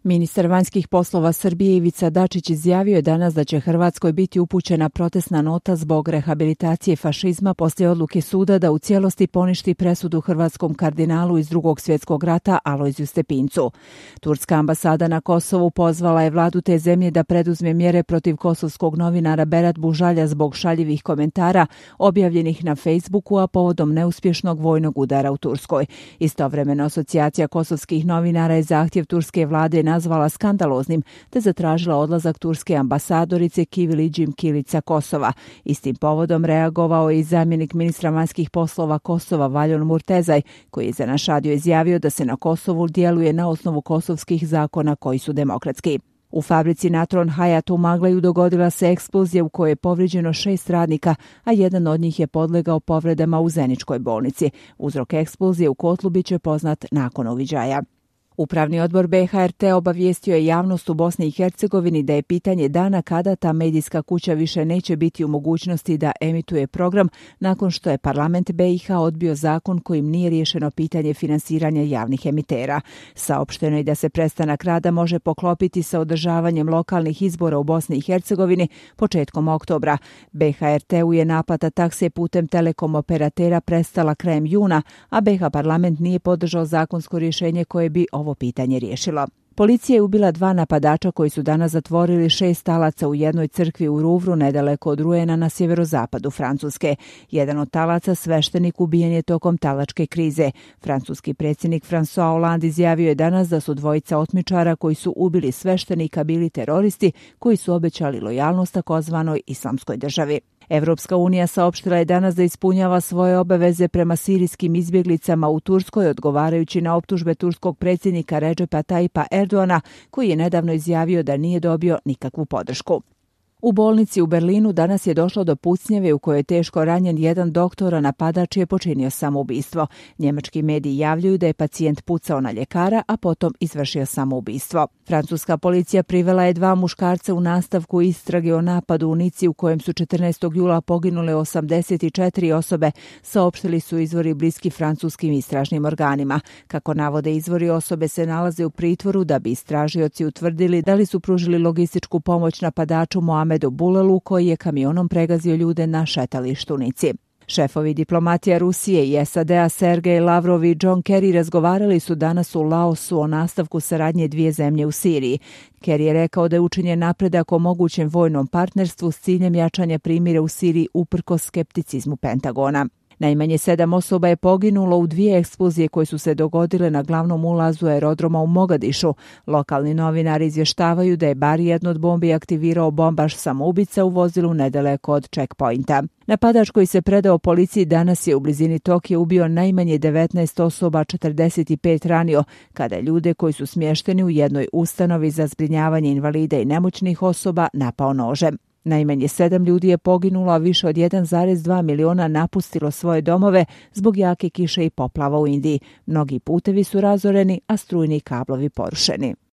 Ministar vanjskih poslova Srbije Ivica Dačić izjavio je danas da će Hrvatskoj biti upućena protestna nota zbog rehabilitacije fašizma poslije odluke suda da u cijelosti poništi presudu hrvatskom kardinalu iz Drugog svjetskog rata Alojziju Stepincu. Turska ambasada na Kosovu pozvala je vladu te zemlje da preduzme mjere protiv kosovskog novinara Berat Bužalja zbog šaljivih komentara objavljenih na Facebooku, a povodom neuspješnog vojnog udara u Turskoj. Istovremeno, asocijacija kosovskih novinara je zahtjev turske vlade nazvala skandaloznim te zatražila odlazak turske ambasadorice Kiviliđim Kilica Kosova. Istim povodom reagovao je i zamjenik ministra vanjskih poslova Kosova Valjon Murtezaj, koji je za naš radio izjavio da se na Kosovu djeluje na osnovu kosovskih zakona koji su demokratski. U fabrici Natron Hayat u Maglaju dogodila se eksplozija u kojoj je povrijeđeno 6 radnika, a jedan od njih je podlegao povredama u Zeničkoj bolnici. Uzrok eksplozije u kotlu biće poznat nakon uviđaja. Upravni odbor BHRT obavijestio je javnost u Bosni i Hercegovini da je pitanje dana kada ta medijska kuća više neće biti u mogućnosti da emituje program nakon što je parlament BiH odbio zakon kojim nije riješeno pitanje finansiranja javnih emitera. Saopšteno je da se prestanak rada može poklopiti sa održavanjem lokalnih izbora u Bosni i Hercegovini početkom oktobra. BHRT-u je naplata takse putem telekom operatera prestala krajem juna, a BiH parlament nije podržao zakonsko rješenje koje bi ovo pitanje riješilo. Policija je ubila 2 napadača koji su danas zatvorili 6 talaca u jednoj crkvi u Rouvru nedaleko od Ruena na sjeverozapadu Francuske. Jedan od talaca, sveštenik, ubijen je tokom talačke krize. Francuski predsjednik François Hollande izjavio je danas da su dvojica otmičara koji su ubili sveštenika bili teroristi koji su obećali lojalnost takozvanoj Islamskoj državi. Evropska unija saopštila je danas da ispunjava svoje obaveze prema sirijskim izbjeglicama u Turskoj, odgovarajući na optužbe turskog predsjednika Recepa Tayyipa Erdoana, koji je nedavno izjavio da nije dobio nikakvu podršku. U bolnici u Berlinu danas je došlo do pucnjave u kojoj je teško ranjen jedan doktor, a napadač je počinio samoubistvo. Njemački mediji javljaju da je pacijent pucao na ljekara, a potom izvršio samoubistvo. Francuska policija privela je 2 muškarca u nastavku istrage o napadu u Nici u kojem su 14. jula poginule 84 osobe, saopštili su izvori bliski francuskim istražnim organima. Kako navode izvori, osobe se nalaze u pritvoru da bi istražioci utvrdili da li su pružili logističku pomoć napadaču Mohamedu Bulelu, koji je kamionom pregazio ljude na šetalištu u Nici. Šefovi diplomatija Rusije i SAD-a Sergej Lavrov i John Kerry razgovarali su danas u Laosu o nastavku saradnje 2 zemlje u Siriji. Kerry je rekao da je učinjen napredak o mogućem vojnom partnerstvu s ciljem jačanja primira u Siriji uprkos skepticizmu Pentagona. Najmanje 7 osoba je poginulo u 2 eksplozije koje su se dogodile na glavnom ulazu aerodroma u Mogadišu. Lokalni novinari izvještavaju da je bar jednu od bombi aktivirao bombaš samoubica u vozilu nedaleko od checkpointa. Napadač koji se predao policiji danas je u blizini Tokija ubio najmanje 19 osoba, 45 ranio, kada je ljude koji su smješteni u jednoj ustanovi za zbrinjavanje invalida i nemoćnih osoba napao nožem. Najmanje 7 ljudi je poginulo, a više od 1,2 miliona napustilo svoje domove zbog jake kiše i poplava u Indiji. Mnogi putevi su razoreni, a strujni kablovi porušeni.